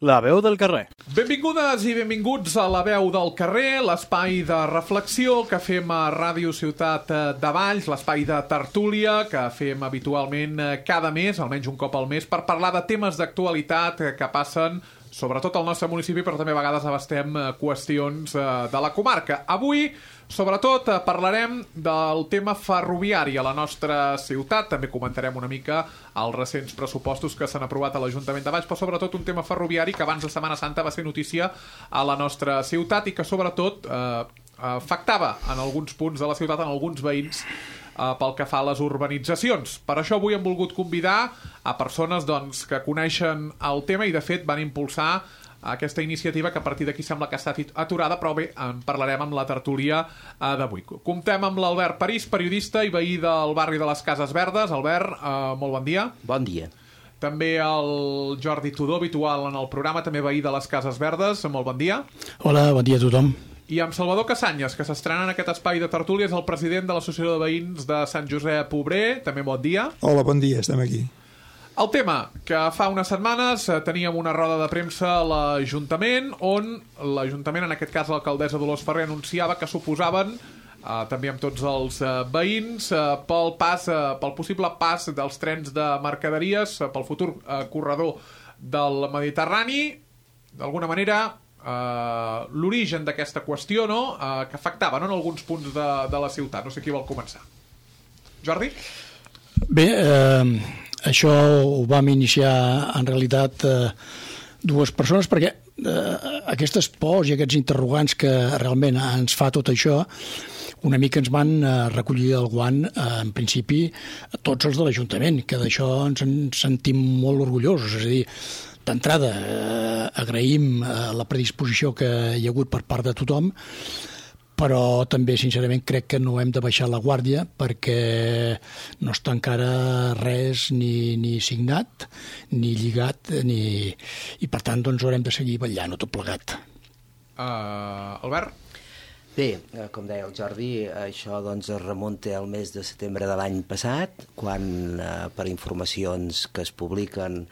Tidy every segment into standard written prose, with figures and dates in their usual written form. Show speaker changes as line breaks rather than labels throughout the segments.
La veu del carrer.
Benvingudes i benvinguts a La veu del carrer, l'espai de reflexió que fem a Ràdio Ciutat de Valls, l'espai de tertúlia que fem habitualment cada mes, almenys un cop al mes, per parlar de temes d'actualitat que passen sobretot al nostre municipi, però també a vegades abastem qüestions de la comarca. Avui, sobretot, parlarem del tema ferroviari a la nostra ciutat. També comentarem una mica els recents pressupostos que s'han aprovat a l'Ajuntament de Valls, però sobretot un tema ferroviari que abans de Setmana Santa va ser notícia a la nostra ciutat i que sobretot afectava en alguns punts de la ciutat, en alguns veïns, pel que fa a les urbanitzacions. Per això avui hem volgut convidar a persones que coneixen el tema i de fet van impulsar aquesta iniciativa que a partir d'aquí sembla que ha estat aturada, però bé, en parlarem amb la tertúlia d'avui. Comptem amb l'Albert París, periodista i veí del barri de les Cases Verdes. Albert, molt bon dia.
Bon dia.
També el Jordi Tudó, habitual en el programa, també veí de les Cases Verdes. Molt bon dia.
Hola, bon dia a tothom.
I amb Salvador Casanyes, que s'estrena en aquest espai de tertúlia, és el president de l'Associació de Veïns de Sant Josep Obrer. També bon dia.
Hola, bon dia, estem aquí.
El tema, que fa unes setmanes teníem una roda de premsa a l'Ajuntament, on l'Ajuntament, en aquest cas l'alcaldessa Dolors Ferrer, anunciava que s'oposaven, també amb tots els veïns, pel possible pas dels trens de mercaderies, pel futur corredor del Mediterrani. D'alguna manera, l'origen d'aquesta qüestió, no? Que afectava, no?, en alguns punts de la ciutat. No sé qui vol començar. Jordi?
Bé, això ho vam iniciar en realitat dues persones, perquè aquestes pors i aquests interrogants que realment ens fa tot això una mica ens van recollir el guant, en principi, tots els de l'Ajuntament, que d'això ens en sentim molt orgullosos. És a dir, d'entrada, agraïm la predisposició que hi ha hagut per part de tothom, però també, sincerament, crec que no hem de baixar la guàrdia perquè no està encara res ni signat, ni lligat, i per tant doncs haurem de seguir vetllant tot plegat.
Albert?
Bé, com deia el Jordi, això doncs es remunta al mes de setembre de l'any passat, quan per informacions que es publiquen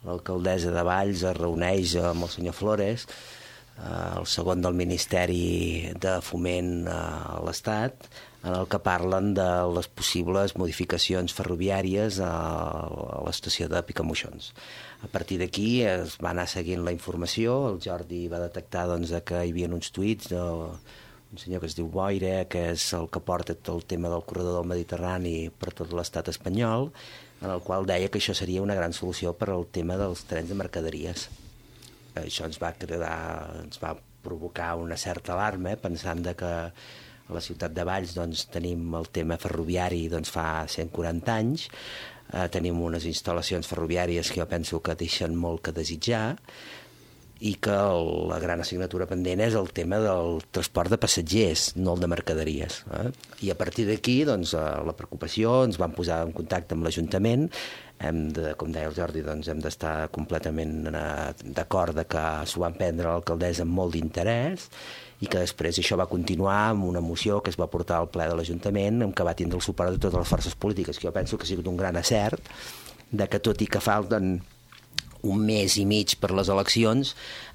l'alcaldessa de Valls es reuneix amb el senyor Flores, el segon del Ministeri de Foment a l'Estat, en el que parlen de les possibles modificacions ferroviàries a l'estació de Picamoixons. A partir d'aquí es va anar seguint la informació, el Jordi va detectar que hi havia uns tuits d'un senyor que es diu Boire, que és el que porta tot el tema del corredor del Mediterrani per tot l'estat espanyol, en el qual deia que això seria una gran solució per al tema dels trens de mercaderies. Això ens va provocar una certa alarma, pensant que a la ciutat de Valls tenim el tema ferroviari fa 140 anys, tenim unes instal·lacions ferroviàries que jo penso que deixen molt que desitjar, i que la gran assignatura pendent és el tema del transport de passatgers, no el de mercaderies. I a partir d'aquí, la preocupació, ens vam posar en contacte amb l'Ajuntament, com deia el Jordi, hem d'estar completament d'acord que s'ho van prendre l'alcaldessa amb molt d'interès i que després això va continuar amb una moció que es va portar al ple de l'Ajuntament, en què va tindre el suport de totes les forces polítiques, que jo penso que ha sigut un gran acert, que tot i que falten un mes i mig per les eleccions,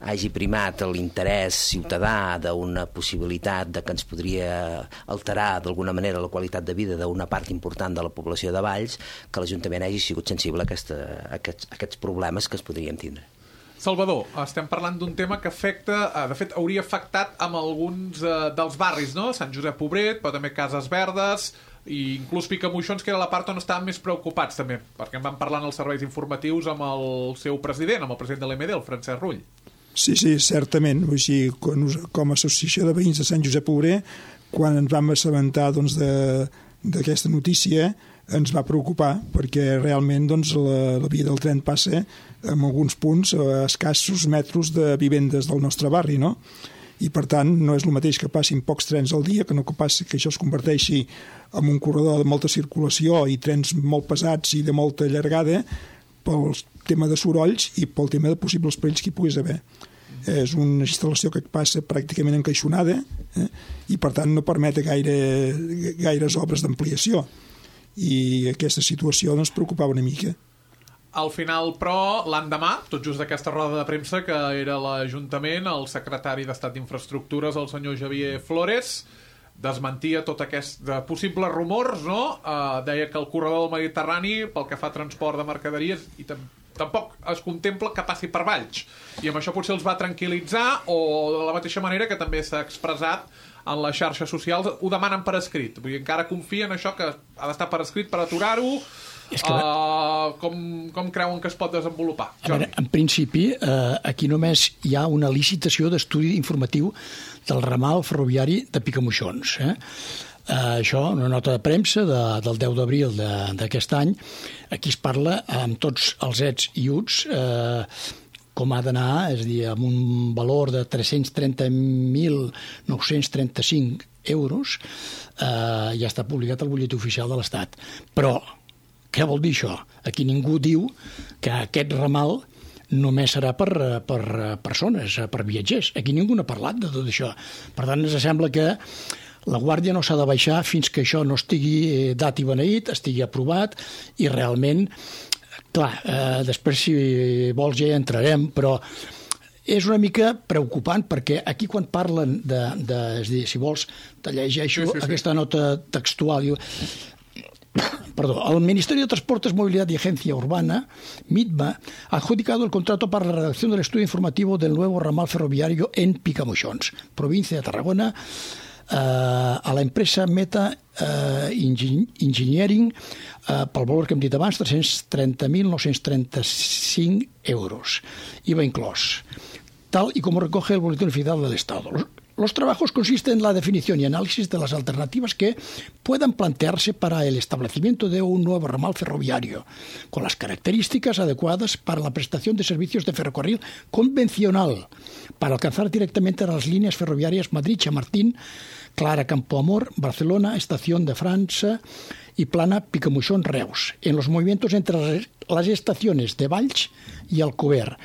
hagi primat l'interès ciutadà d'una possibilitat que ens podria alterar d'alguna manera la qualitat de vida d'una part important de la població de Valls, que l'Ajuntament hagi sigut sensible a aquests problemes que es podrien tindre.
Salvador, estem parlant d'un tema que afecta, de fet hauria afectat amb alguns dels barris, no? Sant Josep Obrer, però també Cases Verdes, i inclús Picamoixons, que era la part on estaven més preocupats també, perquè en van parlar en els serveis informatius amb el seu president, amb el president de l'EMD, el Francesc Rull.
Sí, certament. Així, com a associació de veïns de Sant Josep Obrer, quan ens vam assabentar d'aquesta notícia, ens va preocupar, perquè realment la via del tren passa en alguns punts a escassos metres de vivendes del nostre barri, no? I per tant no és el mateix que passin pocs trens al dia, que no que passi que això es converteixi en un corredor de molta circulació i trens molt pesats i de molta llargada pel tema de sorolls i pel tema de possibles perills que hi puguis haver. És una instal·lació que passa pràcticament encaixonada i per tant no permet gaires obres d'ampliació, i aquesta situació ens preocupava una mica.
Al final, però, l'endemà, tot just d'aquesta roda de premsa, que era l'Ajuntament, el secretari d'Estat d'Infraestructures, el senyor Xavier Flores, desmentia tot aquest possibles rumors, no? Deia que el corredor del Mediterrani, pel que fa a transport de mercaderies, i tampoc es contempla que passi per Valls. I amb això potser els va tranquil·litzar, o de la mateixa manera que també s'ha expressat en les xarxes socials, ho demanen per escrit. Vull dir, encara confien en això, que ha d'estar per escrit per aturar-ho. Com creuen que es pot desenvolupar?
A veure, en principi, aquí només hi ha una licitació d'estudi informatiu del ramal ferroviari de Picamoixons. Això, una nota de premsa del 10 d'abril d'aquest any. Aquí es parla amb tots els ets i uts com ha d'anar, és a dir, amb un valor de 330.935 euros, ja està publicat al butlletí oficial de l'Estat. Però què vol dir això? Aquí ningú diu que aquest ramal només serà per persones, per viatgers. Aquí ningú n'ha parlat de tot això. Per tant, ens sembla que la guàrdia no s'ha de baixar fins que això no estigui dat i beneït, estigui aprovat i realment, clar, després si vols ja hi entrarem, però és una mica preocupant perquè aquí quan parlen és a dir, si vols te llegeixo aquesta nota textual. Perdón, el Ministerio de Transportes, Movilidad y Agencia Urbana, MITMA, ha adjudicado el contrato para la redacción del estudio informativo del nuevo ramal ferroviario en Picamoixons, provincia de Tarragona, a la empresa Meta Engineering pel valor que hem dit abans, 330.935 euros, IVA inclòs, tal y como recoge el Boletín Oficial del Estado. Los trabajos consisten en la definición y análisis de las alternativas que puedan plantearse para el establecimiento de un nuevo ramal ferroviario, con las características adecuadas para la prestación de servicios de ferrocarril convencional, para alcanzar directamente a las líneas ferroviarias Madrid-Chamartín, Clara Campoamor, Barcelona, Estación de Francia y Plana Picamoixons-Reus, en los movimientos entre las estaciones de Valls y Alcover,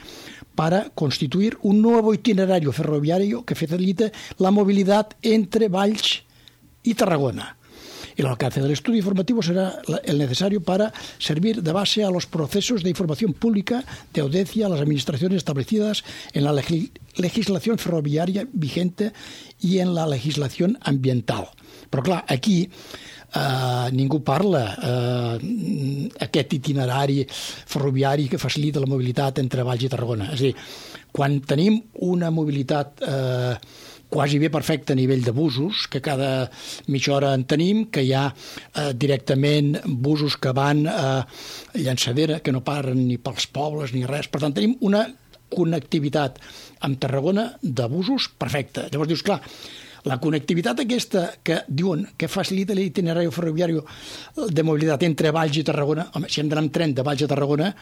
para constituir un nuevo itinerario ferroviario que facilite la movilidad entre Valls y Tarragona. El alcance del estudio informativo será el necesario para servir de base a los procesos de información pública de audiencia a las administraciones establecidas en la legislación ferroviaria vigente y en la legislación ambiental. Però clar, aquí ningú parla aquest itinerari ferroviari que facilita la mobilitat entre Valls i Tarragona. És a dir, quan tenim una mobilitat quasi bé perfecta a nivell de busos, que cada mitja hora en tenim, que hi ha directament busos que van a Llançadera, que no paren ni pels pobles ni res. Per tant, tenim una connectivitat amb Tarragona de busos perfecta. Llavors dius, clar, la connectivitat aquesta que diuen que facilita l'itinerari ferroviari de mobilitat entre Valls i Tarragona, home, si hem d'anar amb tren de Valls a Tarragona,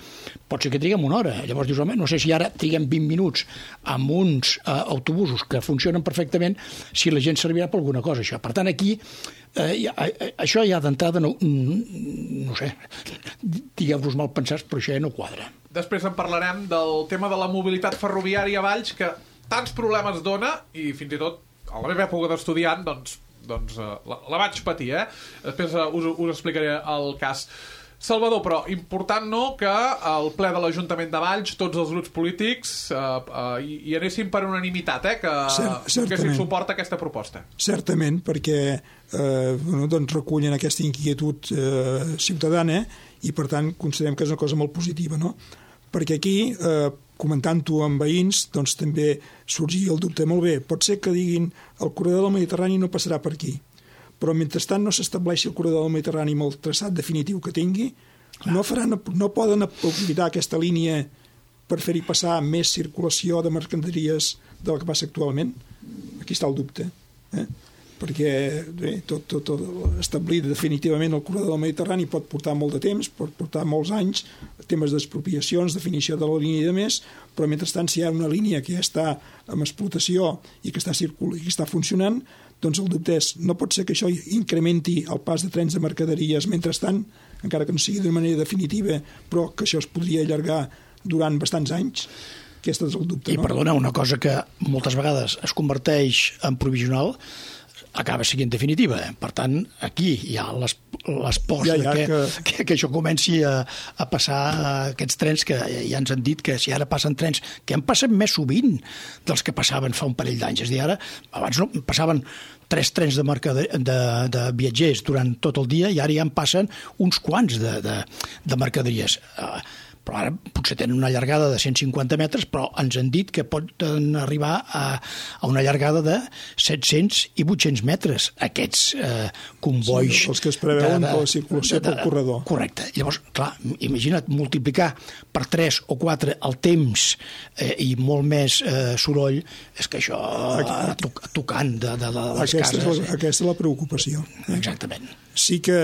pot ser que triguem una hora. Llavors dius, home, no sé si ara triguem 20 minuts amb uns autobusos que funcionen perfectament, si la gent servirà per alguna cosa, això. Per tant, aquí, això ja d'entrada, no sé, digueu-vos mal pensats, però això ja no quadra.
Després en parlarem del tema de la mobilitat ferroviària a Valls, que tants problemes dona, i fins i tot a la meva època d'estudiant, doncs la vaig patir, Després us explicaré el cas. Salvador, però important no que al ple de l'Ajuntament de Valls tots els grups polítics hi anessin per unanimitat, que donessin suport a aquesta proposta.
Certament, perquè doncs recullen aquesta inquietud ciutadana i per tant considerem que és una cosa molt positiva, no? Perquè aquí comentant-ho amb veïns, doncs també sorgia el dubte, molt bé, pot ser que diguin el corredor del Mediterrani no passarà per aquí, però mentrestant no s'estableixi el corredor del Mediterrani amb el traçat definitiu que tingui, no poden aprofitar aquesta línia per fer-hi passar més circulació de mercaderies del que passa actualment. Aquí està el dubte, perquè tot establir definitivament el corredor del Mediterrani pot portar molt de temps, pot portar molts anys, temes d'expropiacions, definició de la línia i de més, però mentrestant si hi ha una línia que ja està en explotació i que està funcionant, doncs el dubte és, no pot ser que això incrementi el pas de trens de mercaderies mentrestant, encara que no sigui d'una manera definitiva, però que això es podria allargar durant bastants anys. Aquest és el dubte,
no? I perdona, una cosa que moltes vegades es converteix en provisional, acaba sent definitiva. Per tant, aquí hi ha les pors que això comenci a passar aquests trens que ja ens han dit que si ara passen trens que en passen més sovint dels que passaven fa un parell d'anys. És a dir, ara, abans no, passaven 3 trens de viatgers durant tot el dia i ara ja en passen uns quants de mercaderies. Però ara potser tenen una llargada de 150 metres, però ens han dit que poden arribar a una llargada de 700 i 800 metres, aquests convois.
Sí, els que es preveuen per la circulació pel corredor.
Correcte. Llavors, clar, imagina't multiplicar per 3 o 4 el temps i molt més soroll, és que això tocant de les cases.
Aquesta és la preocupació.
Exactament.
Sí que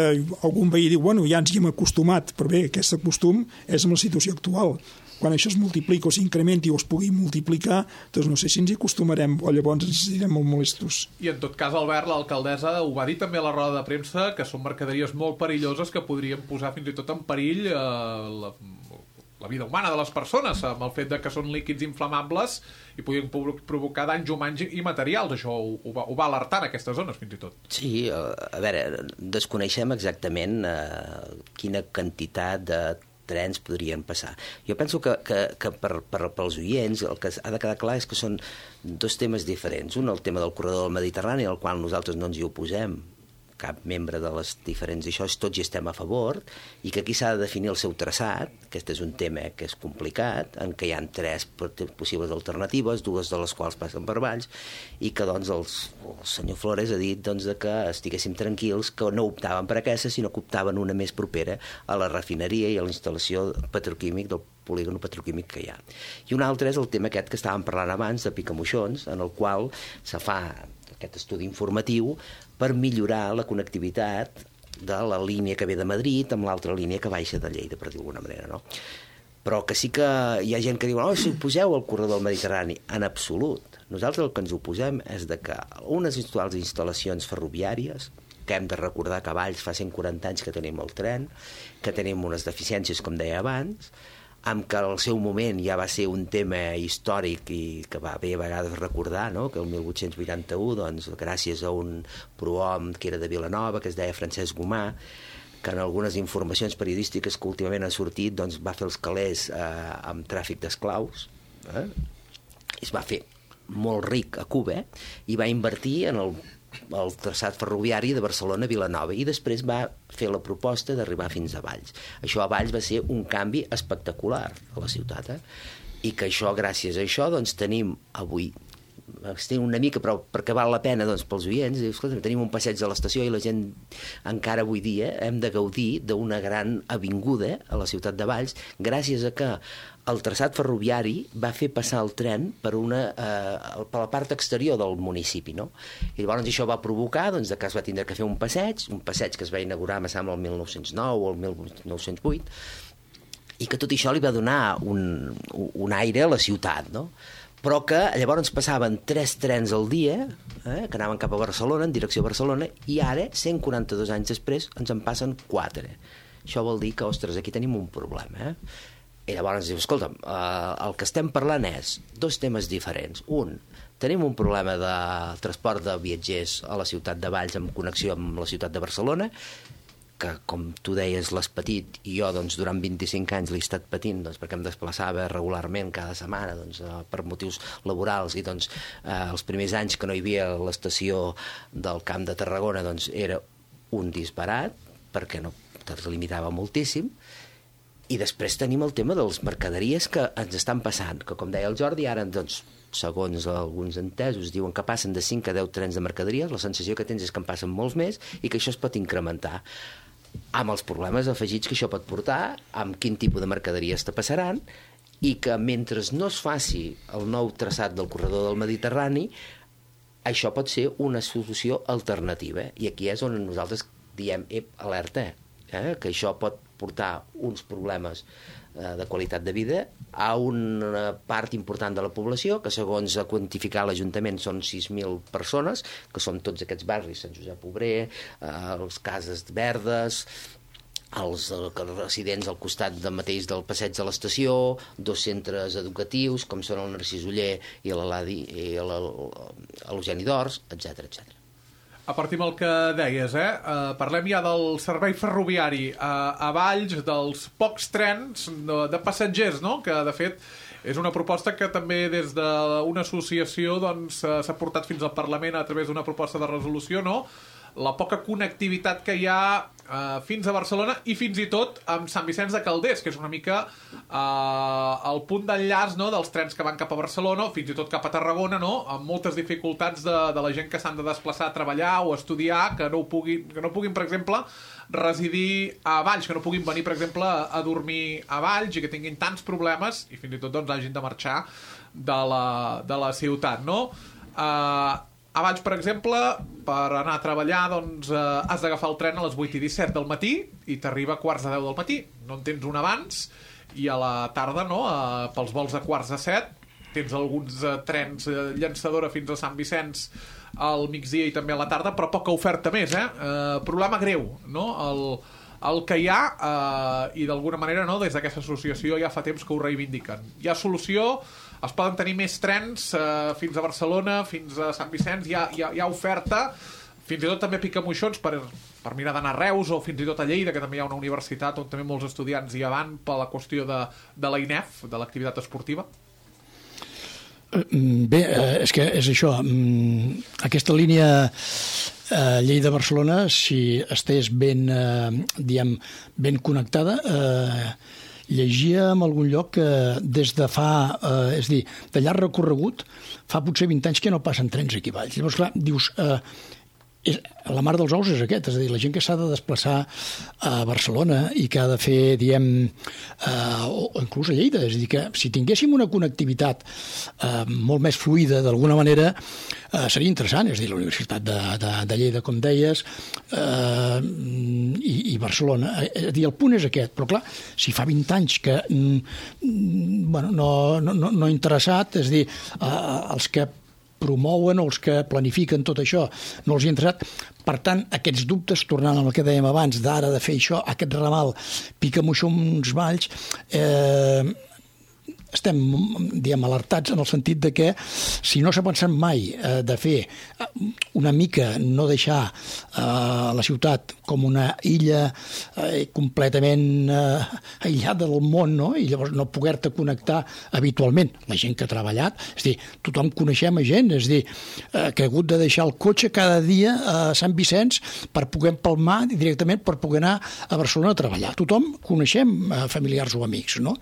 algun veí diu, bueno, ja ens hi hem acostumat, però bé, aquest acostum és amb la situació actual. Quan això es multiplica o s'incrementi o es pugui multiplicar, doncs no sé si ens hi acostumarem o llavors ens direm molt molestos.
I en tot cas, Albert, l'alcaldessa ho va dir també a la roda de premsa, que són mercaderies molt perilloses que podrien posar fins i tot en perill la vida humana de les persones, amb el fet de que són líquids inflamables i podien provocar danys humans i materials. Això ho va alertar en aquestes zones, fins i tot.
Sí, a veure, desconeixem exactament quina quantitat de trens podrien passar. Jo penso que pels oients el que ha de quedar clar és que són 2 temes diferents. Un, el tema del corredor del Mediterrani, al qual nosaltres no ens hi oposem, cap membre de les diferents això, tots hi estem a favor, i que aquí s'ha de definir el seu traçat. Aquest és un tema que és complicat, en què hi ha 3 possibles alternatives, 2 de les quals passen per Valls, i que doncs el senyor Flores ha dit doncs, que estiguéssim tranquils, que no optaven per aquesta, sinó que optaven una més propera a la refineria i a la instal·lació petroquímic del polígon petroquímic que hi ha. I un altre és el tema aquest que estàvem parlant abans, de Picamoixons, en el qual se fa aquest estudi informatiu per millorar la connectivitat de la línia que ve de Madrid amb l'altra línia que baixa de Lleida, per dir d'alguna manera, no? Però que sí que hi ha gent que diu si oposeu al corredor del Mediterrani. En absolut. Nosaltres el que ens oposem és de que unes instal·lacions ferroviàries, que hem de recordar que a Valls fa 140 anys que tenim el tren, que tenim unes deficiències, com deia abans, amb que al seu moment ja va ser un tema històric i que va bé a vegades recordar, no? Que el 1881, doncs, gràcies a un prohom que era de Vilanova, que es deia Francesc Gomà, que en algunes informacions periodístiques que últimament han sortit doncs, va fer els calés amb tràfic d'esclaus, es va fer molt ric a Cuba i va invertir en el traçat ferroviari de Barcelona a Vilanova i després va fer la proposta d'arribar fins a Valls. Això a Valls va ser un canvi espectacular a la ciutat, i que això, gràcies a això, doncs tenim avui una mica, però perquè val la pena doncs, pels oients, tenim un passeig a l'estació i la gent encara avui dia hem de gaudir d'una gran avinguda a la ciutat de Valls gràcies a que el traçat ferroviari va fer passar el tren per la part exterior del municipi, no? I llavors això va provocar doncs, que es va tindre que fer un passeig que es va inaugurar, me sembla, el 1909 o el 1908, i que tot això li va donar un aire a la ciutat, no? Però que llavors passaven 3 trens al dia, que anaven cap a Barcelona, en direcció a Barcelona, i ara, 142 anys després, ens en passen 4. Això vol dir que, ostres, aquí tenim un problema, I llavors ens diu, escolta'm, el que estem parlant és 2 temes diferents. Un, tenim un problema de transport de viatgers a la ciutat de Valls amb connexió amb la ciutat de Barcelona, que, com tu deies, l'has patit, i jo doncs, durant 25 anys l'he estat patint doncs, perquè em desplaçava regularment cada setmana doncs, per motius laborals, i doncs, els primers anys que no hi havia l'estació del Camp de Tarragona doncs, era un disbarat, perquè no es limitava moltíssim. I després tenim el tema de les mercaderies que ens estan passant, que com deia el Jordi, ara, doncs, segons alguns entesos, diuen que passen de 5 a 10 trens de mercaderies, la sensació que tens és que en passen molts més i que això es pot incrementar amb els problemes afegits que això pot portar, amb quin tipus de mercaderies te passaran, i que mentre no es faci el nou traçat del corredor del Mediterrani, això pot ser una solució alternativa. I aquí és on nosaltres diem, alerta, que això pot portar uns problemes de qualitat de vida a una part important de la població, que segons ha quantificat l'Ajuntament són 6.000 persones, que són tots aquests barris, Sant Josep Obrer, els Cases Verdes, els residents al costat mateix del passeig de l'estació, 2 centres educatius, com són el Narcís Oller i l'Eugeni d'Ors, etc etc.
A partir del que deies, parlem ja del servei ferroviari a Valls, dels pocs trens de passatgers, no? Que, de fet, és una proposta que també des d'una associació doncs, s'ha portat fins al Parlament a través d'una proposta de resolució, no? La poca connectivitat que hi ha fins a Barcelona i fins i tot amb Sant Vicenç de Calders, que és una mica el punt d'enllaç, no?, dels trens que van cap a Barcelona o fins i tot cap a Tarragona, no?, amb moltes dificultats de la gent que s'han de desplaçar a treballar o a estudiar, que no puguin, per exemple, residir a Valls, que no puguin venir, per exemple, a dormir a Valls i que tinguin tants problemes i fins i tot doncs, hagin de marxar de la ciutat, no? A Valls, per exemple, per anar a treballar doncs, has d'agafar el tren a les 8:17 del matí i t'arriba a 8:45 del matí. No en tens un abans i a la tarda, no, pels vols de 6:45, tens alguns trens llançadora fins a Sant Vicenç al migdia i també a la tarda, però poca oferta més, problema greu, no? El que hi ha, i d'alguna manera, no, des d'aquesta associació ja fa temps que ho reivindiquen. Hi ha solució, es poden tenir més trens fins a Barcelona, fins a Sant Vicenç, hi ha oferta, fins i tot també picamoixons per mirar d'anar a Reus o fins i tot a Lleida, que també hi ha una universitat on també molts estudiants hi van per la qüestió de la INEF, de l'activitat esportiva.
Bé, és que és això. Aquesta línia Lleida-Barcelona, si estés ben connectada, llegia en algun lloc que des de fa, és a dir, de llarg recorregut, fa potser 20 anys que no passen trens aquí a Valls. Llavors, clar, dius, la mar dels ous és aquest, és a dir, la gent que s'ha de desplaçar a Barcelona i que ha de fer, o inclús a Lleida, és a dir, que si tinguéssim una connectivitat molt més fluida, d'alguna manera, seria interessant, és a dir, la Universitat de Lleida, com deies, i Barcelona. És a dir, el punt és aquest, però clar, si fa 20 anys que no ha interessat, és a dir, els que promouen o els que planifiquen tot això no els hi ha interessat. Per tant, aquests dubtes, tornant al que dèiem abans, d'ara de fer això, aquest ramal Picamoixons Valls, estem, alertats en el sentit de que si no s'ha pensat mai de fer una mica, no deixar la ciutat com una illa completament aïllada del món, no? I llavors no poder-te connectar habitualment. La gent que ha treballat, és a dir, tothom coneixem a gent, és a dir, que ha hagut de deixar el cotxe cada dia a Sant Vicenç per poder empalmar directament per poder anar a Barcelona a treballar. Tothom coneixem familiars o amics, no?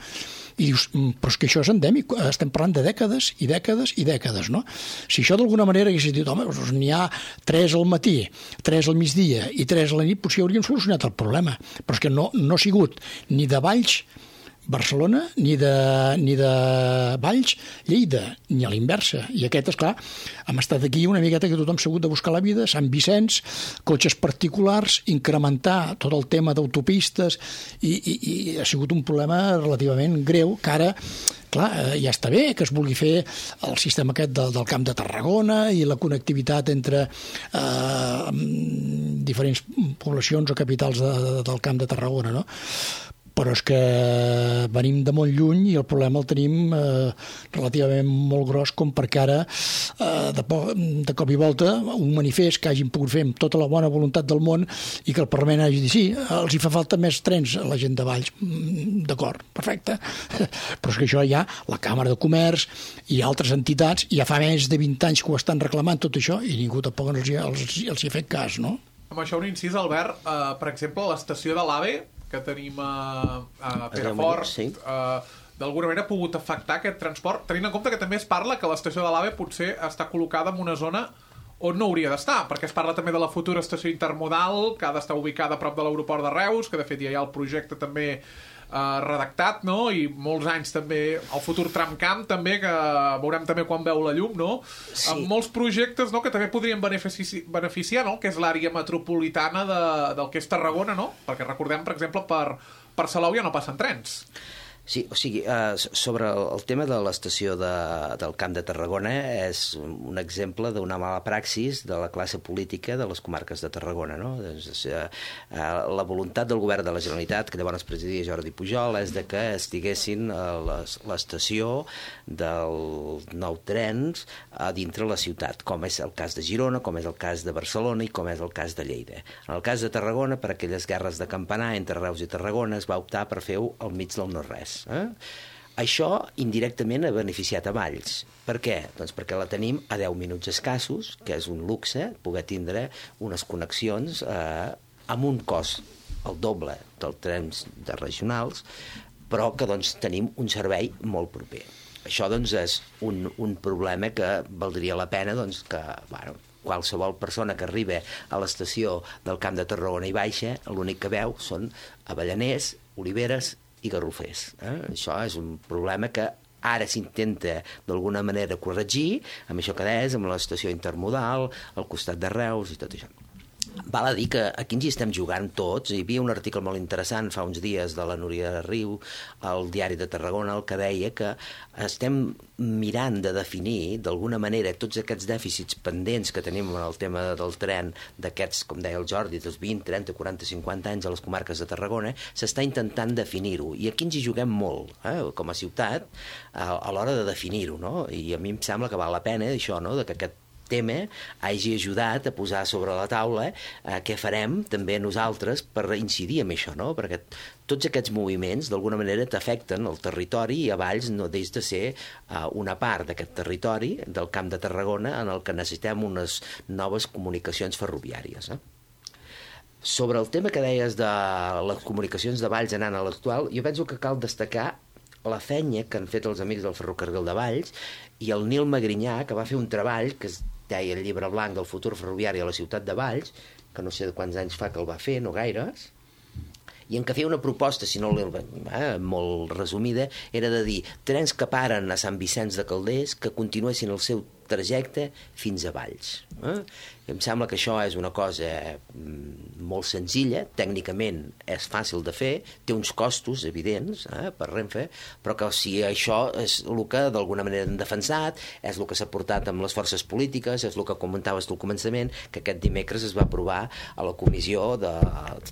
I dius, però és que això és endèmic, estem parlant de dècades i dècades i dècades, no? Si això d'alguna manera hagués dit, home, doncs n'hi ha 3 al matí, 3 al migdia i 3 a la nit, potser hauríem solucionat el problema. Però és que no ha sigut ni de Valls Barcelona, ni de Valls Lleida, ni a l'inversa. I aquest, esclar, hem estat aquí una miqueta que tothom s'ha hagut de buscar la vida, Sant Vicenç, cotxes particulars, incrementar tot el tema d'autopistes i ha sigut un problema relativament greu que ara, clar, ja està bé que es vulgui fer el sistema aquest del Camp de Tarragona i la connectivitat entre diferents poblacions o capitals del Camp de Tarragona, no? Però és que venim de molt lluny i el problema el tenim relativament molt gros com perquè ara de cop i volta un manifest que hagin pogut fer amb tota la bona voluntat del món i que el Parlament hagi dit sí, els hi fa falta més trens a la gent de Valls. D'acord, perfecte. Però és que això ja la Càmera de Comerç i altres entitats ja fa més de 20 anys que ho estan reclamant tot això i ningú tampoc els hi ha fet cas, no?
Amb això un incís, Albert, per exemple, l'estació de l'AVE que tenim a Perafort, sí. D'alguna manera ha pogut afectar aquest transport, tenint en compte que també es parla que l'estació de l'AVE potser està col·locada en una zona on no hauria d'estar, perquè es parla també de la futura estació intermodal, que ha d'estar ubicada a prop de l'aeroport de Reus, que de fet ja hi ha el projecte també redactat, no? I molts anys també el futur tramcamp també, que veurem també quan veu la llum, no? Sí. Amb molts projectes, no?, que també podrien beneficiar, no?, que és l'àrea metropolitana del que és Tarragona, no? Perquè recordem, per exemple, per Salou ja no passen trens.
Sí, o sigui, sobre el tema de l'estació del Camp de Tarragona és un exemple d'una mala praxis de la classe política de les comarques de Tarragona, no? Doncs, la voluntat del govern de la Generalitat, que llavors presidia Jordi Pujol, és de que estiguessin l'estació dels nou trens a dintre la ciutat, com és el cas de Girona, com és el cas de Barcelona i com és el cas de Lleida. En el cas de Tarragona, per aquelles guerres de campanar entre Reus i Tarragona, es va optar per fer-ho al mig del no-res. Això indirectament ha beneficiat a Valls. Per què? Doncs perquè la tenim a 10 minuts escassos, que és un luxe poder tindre unes connexions amb un cost el doble dels trens de regionals, però que doncs, tenim un servei molt proper. Això doncs, és un problema que valdria la pena doncs, que qualsevol persona que arriba a l'estació del Camp de Tarragona i baixa, l'únic que veu són Avellaners, Oliveres i Garrofers. Això és un problema que ara s'intenta d'alguna manera corregir amb això que deies, amb l'estació intermodal, al costat de Reus i tot això. Val a dir que aquí ens hi estem jugant tots. Hi havia un article molt interessant fa uns dies de la Núria Riu al Diari de Tarragona, el que deia que estem mirant de definir d'alguna manera tots aquests dèficits pendents que tenim en el tema del tren d'aquests, com deia el Jordi, dels 20, 30, 40, 50 anys a les comarques de Tarragona, s'està intentant definir-ho. I aquí ens hi juguem molt, com a ciutat, a l'hora de definir-ho, no? I a mi em sembla que val la pena això, no?, de que aquest tema hagi ajudat a posar sobre la taula què farem també nosaltres per incidir en això, no? Perquè tots aquests moviments d'alguna manera t'afecten el territori i a Valls no deix de ser una part d'aquest territori del Camp de Tarragona en el que necessitem unes noves comunicacions ferroviàries. Sobre el tema que deies de les comunicacions de Valls anant a l'actual, jo penso que cal destacar la feina que han fet els amics del ferrocarril de Valls i el Nil Magrinyà, que va fer un treball que es deia el llibre blanc del futur ferroviari a la ciutat de Valls, que no sé de quants anys fa que el va fer, no gaires, i en què feia una proposta, si no molt resumida, era de dir trens que paren a Sant Vicenç de Calders que continuessin el seu trajecte fins a Valls. Em sembla que això és una cosa molt senzilla, tècnicament és fàcil de fer, té uns costos evidents per Renfe, però que si això és el que d'alguna manera hem defensat, és el que s'ha portat amb les forces polítiques, és el que comentaves tu al començament, que aquest dimecres es va aprovar a la Comissió de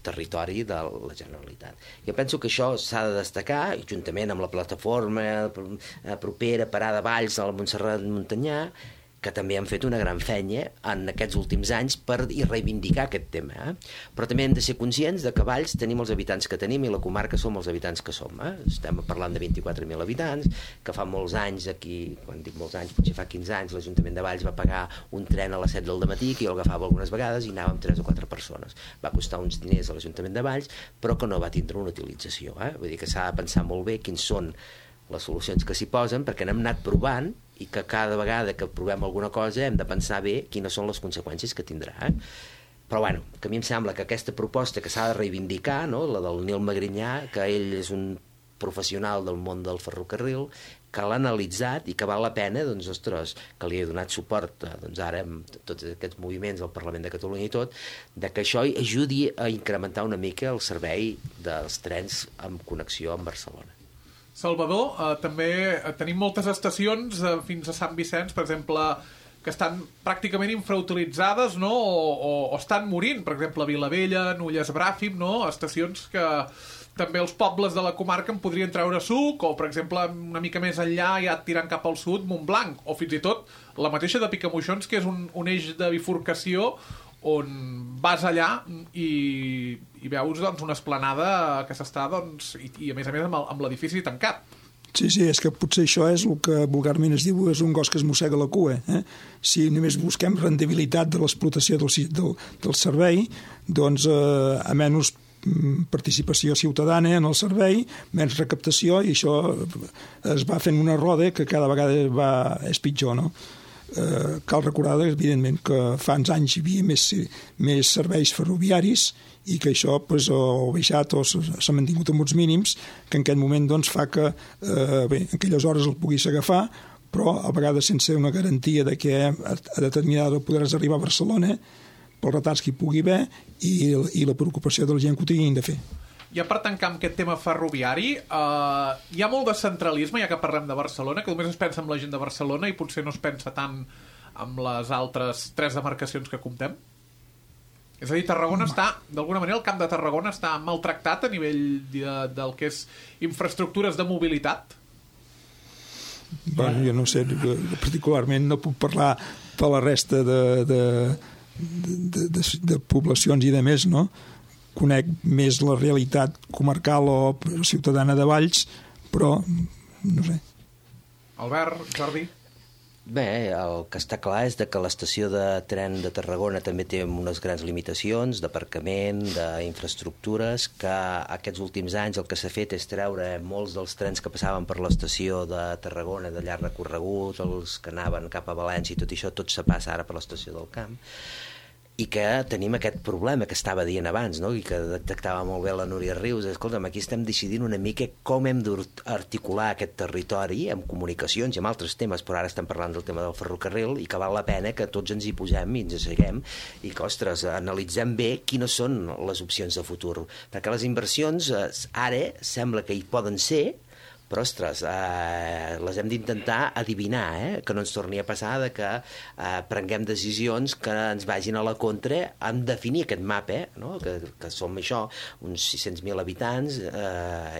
Territori de la Generalitat. Jo penso que això s'ha de destacar, juntament amb la plataforma propera Parada Valls a la Montserrat Montanyà, que també han fet una gran feina en aquests últims anys per reivindicar aquest tema. Però també hem de ser conscients de que a Valls tenim els habitants que tenim i la comarca som els habitants que som. Estem parlant de 24.000 habitants, que fa molts anys aquí, quan dic molts anys, potser fa 15 anys, l'Ajuntament de Valls va pagar un tren a les 7 del matí, que jo l'agafava algunes vegades i anàvem 3 o 4 persones. Va costar uns diners a l'Ajuntament de Valls, però que no va tindre una utilització. Vull dir que s'ha de pensar molt bé quins són les solucions que s'hi posen, perquè n'hem anat provant i que cada vegada que provem alguna cosa hem de pensar bé quines són les conseqüències que tindrà. Però bueno, que a mi em sembla que aquesta proposta que s'ha de reivindicar, no? La del Nil Magrinyà, que ell és un professional del món del ferrocarril, que l'ha analitzat i que val la pena, doncs, ostres, que li he donat suport doncs, ara amb tots aquests moviments del Parlament de Catalunya i tot, de que això ajudi a incrementar una mica el servei dels trens amb connexió amb Barcelona.
Salvador, també tenim moltes estacions fins a Sant Vicenç, per exemple, que estan pràcticament infrautilitzades, no? o estan morint, per exemple, Vilavella, Nulles Bràfim, no? Estacions que també els pobles de la comarca en podrien treure suc, o, per exemple, una mica més enllà, ja tirant cap al sud, Montblanc, o fins i tot la mateixa de Picamoixons, que és un eix de bifurcació on vas allà i veus doncs, una esplanada que s'està doncs, i a més amb l'edifici tancat.
Sí, és que potser això és el que vulgarment es diu és un gos que es mossega la cua. Si només busquem rendibilitat de l'explotació del servei, doncs a menys participació ciutadana en el servei, menys recaptació, i això es va fent una roda que cada vegada és pitjor, no? Cal recordar, evidentment, que fa uns anys hi havia més serveis ferroviaris i que això ha baixat o s'ha mantingut amb uns mínims que en aquest moment fa que en aquelles hores el puguis agafar, però a vegades sense una garantia de que a determinada hora podràs arribar a Barcelona pels retards que hi pugui haver i la preocupació de la gent que ho tinguin de fer.
Ja per tancar amb aquest tema ferroviari, hi ha molt de centralisme, ja que parlem de Barcelona, que només es pensa en la gent de Barcelona i potser no es pensa tant en les altres 3 demarcacions que comptem? És a dir, Tarragona està, d'alguna manera, el Camp de Tarragona està maltractat a nivell del que és infraestructures de mobilitat?
Bueno, jo no sé, particularment no puc parlar per la resta de poblacions i de més, no? Conec més la realitat comarcal o ciutadana de Valls, però no sé.
Albert, Jordi?
Bé, el que està clar és que l'estació de tren de Tarragona també té unes grans limitacions d'aparcament, d'infraestructures, que aquests últims anys el que s'ha fet és treure molts dels trens que passaven per l'estació de Tarragona de llarg recorregut, els que anaven cap a València i tot això, tot se passa ara per l'estació del Camp, i que tenim aquest problema que estava dient abans, no? I que detectava molt bé la Núria Rius. Escolta'm, aquí estem decidint una mica com hem d'articular aquest territori amb comunicacions i amb altres temes, però ara estem parlant del tema del ferrocarril i que val la pena que tots ens hi posem i ens asseguem i que, ostres, analitzem bé quines són les opcions de futur. Perquè les inversions ara sembla que hi poden ser, però, ostres, les hem d'intentar adivinar, que no ens torni a passar de que prenguem decisions que ens vagin a la contra en definir aquest mapa, no? que som això, uns 600.000 habitants,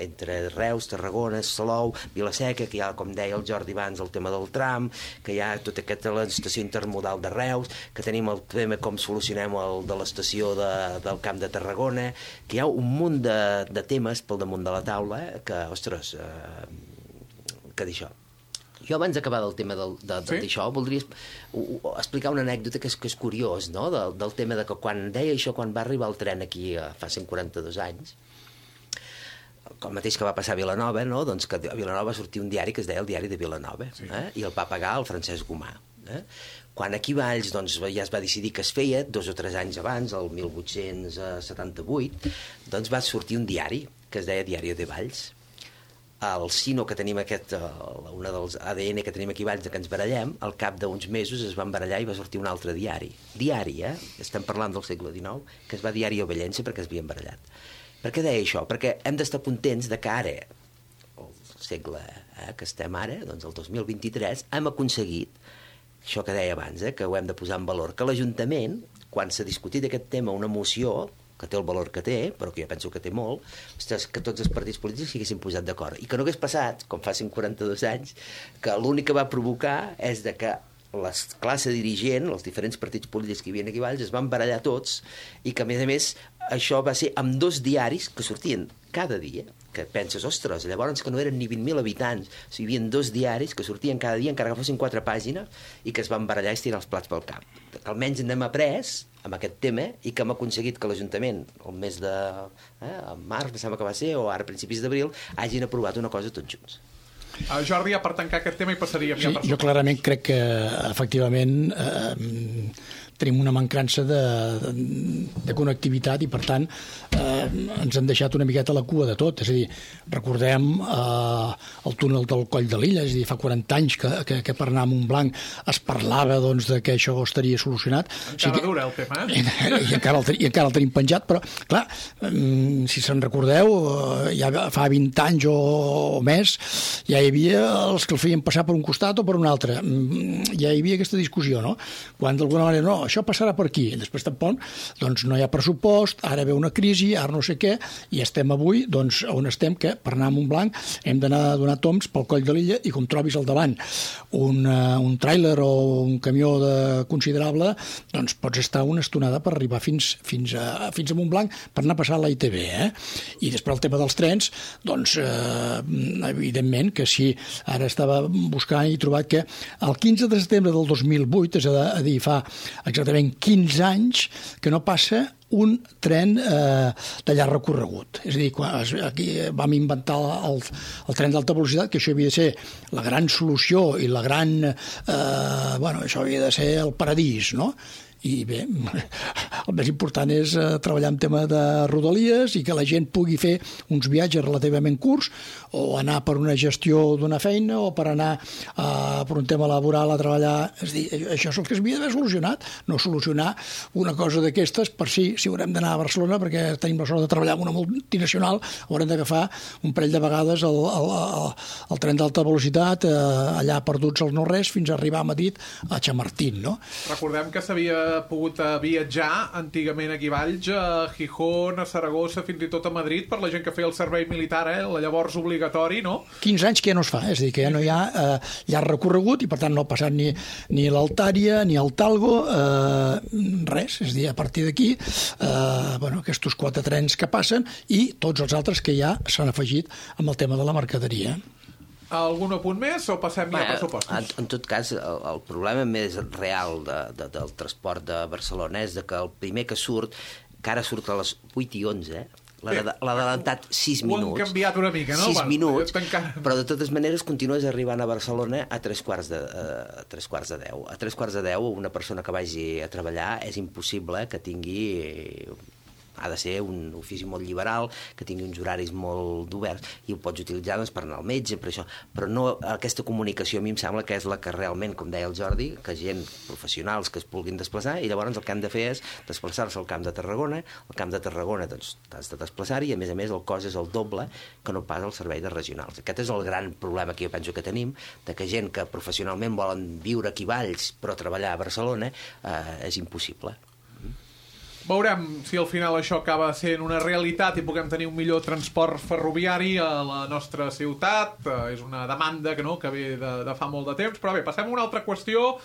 entre Reus, Tarragona, Salou, Vila-seca, que hi ha, com deia el Jordi abans, el tema del tram, que hi ha tota aquesta l'estació intermodal de Reus, que tenim el tema com solucionem el de l'estació del Camp de Tarragona, que hi ha un munt de temes pel damunt de la taula que, ostres, que d'això. Jo abans d'acabar del tema d'això voldria explicar una anècdota que és curiós, no? Del tema de que quan deia això, quan va arribar el tren aquí fa 142 anys, el mateix que va passar a Vilanova, no? Doncs que a Vilanova va sortir un diari que es deia el Diari de Vilanova, i el va pagar el Francesc Gomà. Quan aquí a Valls doncs, ja es va decidir que es feia, 2 o 3 anys abans, el 1878, doncs va sortir un diari que es deia Diari de Valls. El Sino que tenim una dels ADN que tenim aquí a Valls, que ens barallem, al cap d'uns mesos es van barallar i va sortir un altre diari. Diari, estem parlant del segle XIX, que es va Diari Ovellense perquè es havien barallat. Per què deia això? Perquè hem d'estar contents de que ara, el segle que estem ara, doncs el 2023, hem aconseguit això que deia abans, que ho hem de posar en valor, que l'Ajuntament, quan s'ha discutit aquest tema, una moció que té el valor que té, però que jo penso que té molt, ostres, que tots els partits polítics s'haguessin posat d'acord. I que no hagués passat, com fa 142 anys, que l'únic que va provocar és de que la classe dirigent, els diferents partits polítics que hi havia aquí a Valls, es van barallar tots i que, a més, això va ser amb 2 diaris que sortien cada dia, que penses, ostres, llavors que no eren ni 20.000 habitants, hi havia 2 diaris que sortien cada dia, encara que fossin 4 pàgines, i que es van barallar i estirar els plats pel cap. Almenys n'hem après amb aquest tema i que hem aconseguit que l'Ajuntament, el mes de març, em sembla que va ser, o ara a principis d'abril, hagin aprovat una cosa tots junts.
Jordi, per tancar aquest tema i passaríem ja per...
Jo clarament crec que, efectivament, tenim una mancança de connectivitat i, per tant, ens han deixat una miqueta la cua de tot. És a dir, recordem el túnel del Coll de Lilla, és a dir, fa 40 anys que per anar a Montblanc es parlava doncs, de que això estaria solucionat.
Encara dura el tema,
I encara el tenim penjat, però, clar, si se'n recordeu, ja fa 20 anys o més, ja hi havia els que el feien passar per un costat o per un altre. Ja hi havia aquesta discussió, no? Quan d'alguna manera, no, això passarà per aquí. Després tampoc, doncs no hi ha pressupost, ara ve una crisi, ara no sé què, i estem avui, doncs, on estem, que per anar a Montblanc hem d'anar a donar tombs pel Coll de Lilla i com trobis al davant un tràiler o un camió considerable, doncs pots estar una estonada per arribar fins a Montblanc per anar a passar a la ITV, I després el tema dels trens, doncs, evidentment que sí, ara estava buscant i he trobat que el 15 de setembre del 2008, és a dir, fa exactament 15 anys que no passa un tren de llarg recorregut. És a dir, aquí vam inventar el tren d'alta velocitat, que això havia de ser la gran solució i la gran... això havia de ser el paradís, no? i bé, el més important és treballar en tema de rodalies i que la gent pugui fer uns viatges relativament curts o anar per una gestió d'una feina o per anar per un tema laboral a treballar. És a dir, això és el que s'havia d'haver solucionat, no solucionar una cosa d'aquestes per si haurem d'anar a Barcelona perquè tenim la sort de treballar amb una multinacional, haurem d'agafar un parell de vegades el tren d'alta velocitat allà perduts al no-res fins a arribar a Madrid a Chamartín, no?
Recordem que s'havia pogut viatjar antigament aquí a Valls, a Gijón, a Saragossa, fins i tot a Madrid, per la gent que feia el servei militar, la llavors obligatori, no?
15 anys que ja no es fa, és a dir, que ja no hi ha recorregut i per tant no ha passat ni l'Altària ni el Talgo, res, és a dir, a partir d'aquí aquests 4 trens que passen i tots els altres que ja s'han afegit amb el tema de la mercaderia.
Algun apunt més o passem ja a pressupostos?
En tot cas, el problema més real del transport de Barcelona és que el primer que surt, que ara surt a les 8 i 11, l'ha adelantat 6 minuts.
Ho han canviat una mica, no?
6 minuts, però de totes maneres continues arribant a Barcelona a 3:15. A 3:15, una persona que vagi a treballar és impossible que tingui... ha de ser un ofici molt liberal, que tingui uns horaris molt oberts, i ho pots utilitzar per anar al metge, per això. Però no, aquesta comunicació a mi em sembla que és la que realment, com deia el Jordi, que gent professionals que es vulguin desplaçar, i llavors el que han de fer és desplaçar-se al Camp de Tarragona. Al Camp de Tarragona doncs t'has de desplaçar-hi, i a més el cost és el doble que no pas el servei de regionals. Aquest és el gran problema que jo penso que tenim, de que gent que professionalment volen viure aquí a Valls però treballar a Barcelona és impossible.
Veurem si al final això acaba sent una realitat i puguem tenir un millor transport ferroviari a la nostra ciutat. És una demanda que ve de fa molt de temps. Però bé, passem a una altra qüestió.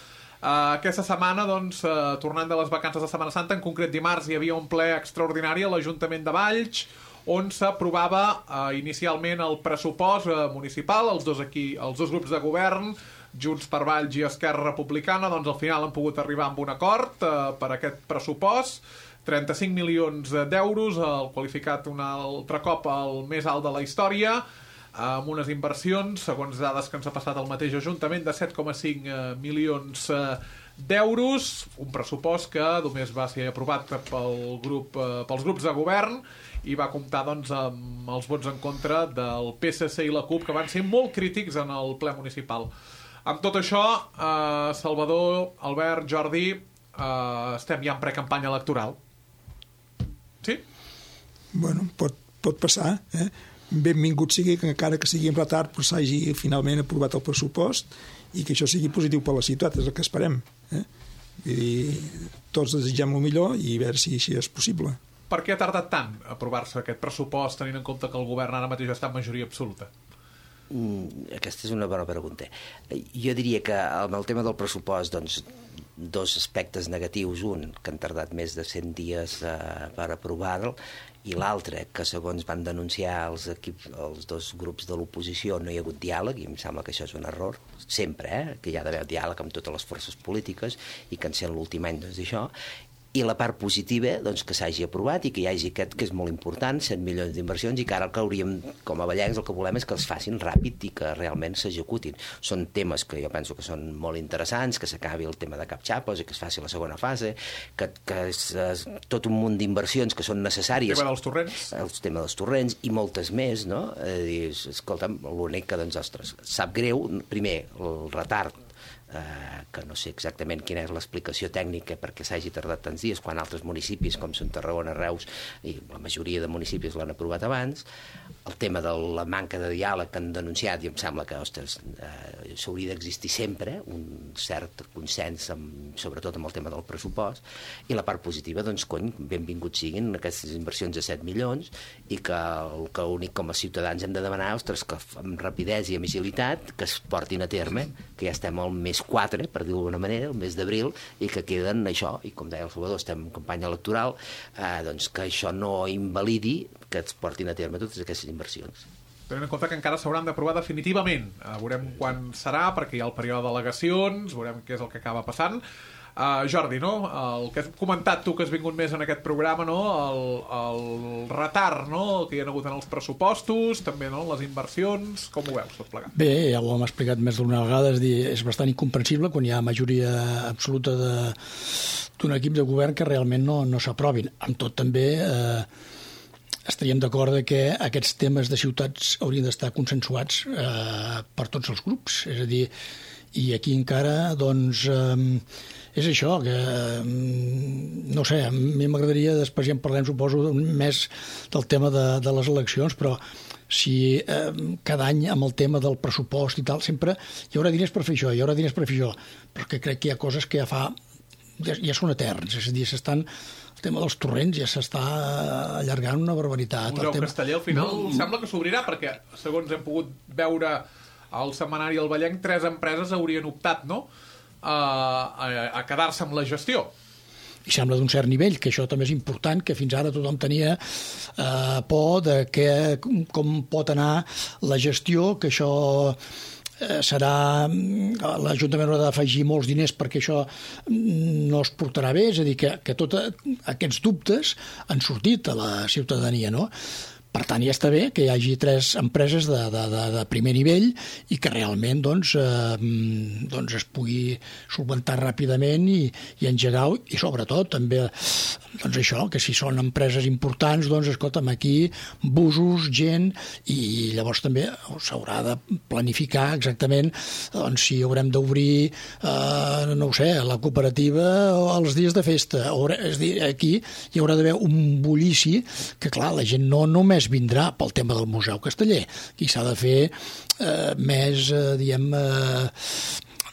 Aquesta setmana, doncs, tornant de les vacances de Setmana Santa, en concret dimarts, hi havia un ple extraordinari a l'Ajuntament de Valls on s'aprovava inicialment el pressupost municipal. Els dos grups de govern, Junts per Valls i Esquerra Republicana, doncs al final han pogut arribar a un acord per aquest pressupost. 35 milions d'euros, el qualificat un altre cop el més alt de la història, amb unes inversions, segons dades que ens ha passat el mateix Ajuntament, de 7,5 milions d'euros, un pressupost que només va ser aprovat pels grups de govern i va comptar doncs, amb els vots en contra del PSC i la CUP, que van ser molt crítics en el ple municipal. Amb tot això, Salvador, Albert, Jordi, estem ja en precampanya electoral. Sí?
Bueno, pot passar, Benvingut sigui que encara que sigui en retard però s'hagi finalment aprovat el pressupost i que això sigui positiu per la ciutat, és el que esperem. Vull dir, tots desitgem el millor i a veure si així és possible.
Per què ha tardat tant a aprovar-se aquest pressupost tenint en compte que el govern ara mateix està en majoria absoluta?
Aquesta és una bona pregunta. Jo diria que amb el tema del pressupost, doncs, dos aspectes negatius. Un, que han tardat més de 100 dies per aprovar-lo, i l'altre, que segons van denunciar els dos grups de l'oposició, no hi ha hagut diàleg, i em sembla que això és un error, sempre, que hi ha d'haver diàleg amb totes les forces polítiques, i que en sent l'últim any doncs això. I la part positiva, doncs, que s'hagi aprovat i que hi hagi aquest, que és molt important, 100 milions d'inversions, i que ara el que hauríem, com a vallencs, el que volem és que els facin ràpid i que realment s'executin. Són temes que jo penso que són molt interessants, que s'acabi el tema de Capxapos i que es faci la segona fase, que és tot un munt d'inversions que són necessàries.
El tema dels torrents.
El tema dels torrents i moltes més, no? Escolta'm, l'únic que, doncs, ostres, sap greu, primer, el retard, que no sé exactament quina és l'explicació tècnica perquè s'hagi tardat tants dies, quan altres municipis com són Tarragona, Reus i la majoria de municipis l'han aprovat abans. El tema de la manca de diàleg que han denunciat, i em sembla que, ostres, s'hauria d'existir sempre un cert consens, sobretot amb el tema del pressupost. I la part positiva, doncs, benvinguts siguin aquestes inversions de 7 milions i que el que únic com a ciutadans hem de demanar, ostres, que amb rapidesa i amb agilitat que es portin a terme, que ja estem al mes 4, per dir-ho d'alguna manera, el mes d'abril, i que queden això, i com deia el Salvador, estem en campanya electoral, doncs que això no invalidi que es portin a terme totes aquestes inversions.
Tenint en compte que encara s'hauran d'aprovar definitivament. Veurem quan serà, perquè hi ha el període d'al·legacions, veurem què és el que acaba passant. Jordi, no? El que has comentat tu, que has vingut més en aquest programa, no? El retard, no? Que hi ha hagut en els pressupostos, també, no? Les inversions, com ho veus tot plegat?
Bé, ja ho hem explicat més d'una vegada, és bastant incomprensible quan hi ha majoria absoluta de d'un equip de govern que realment no s'aprovin. Amb tot també estaríem d'acord que aquests temes de ciutats haurien d'estar consensuats per tots els grups. És a dir, i aquí encara, doncs, és això, que no sé, a mi m'agradaria, després ja en parlem, suposo, més del tema de les eleccions, però si cada any amb el tema del pressupost i tal, sempre hi haurà diners per fer això, hi haurà diners per fer això, però que crec que hi ha coses que ja són eterns, és a dir, el tema dels torrents ja s'està allargant una barbaritat.
El Museu Casteller al final sembla que s'obrirà, perquè segons hem pogut veure al setmanari El Vallenc, 3 empreses haurien optat, no?, a quedar-se amb la gestió.
I sembla d'un cert nivell, que això també és important, que fins ara tothom tenia por de com pot anar la gestió, que això serà... l'Ajuntament haurà d'afegir molts diners perquè això no es portarà bé, és a dir, que tots aquests dubtes han sortit a la ciutadania, no? Per tant, ja està bé que hi hagi 3 empreses de primer nivell i que realment doncs, es pugui solventar ràpidament i engegar, i sobretot també doncs això, que si són empreses importants, doncs escolta'm, aquí busos, gent, i llavors també s'haurà de planificar exactament doncs, si haurem d'obrir no ho sé, la cooperativa els dies de festa. És a dir, aquí hi haurà d'haver un bullici que, clar, la gent no només vindrà pel tema del Museu Casteller. Aquí s'ha de fer més,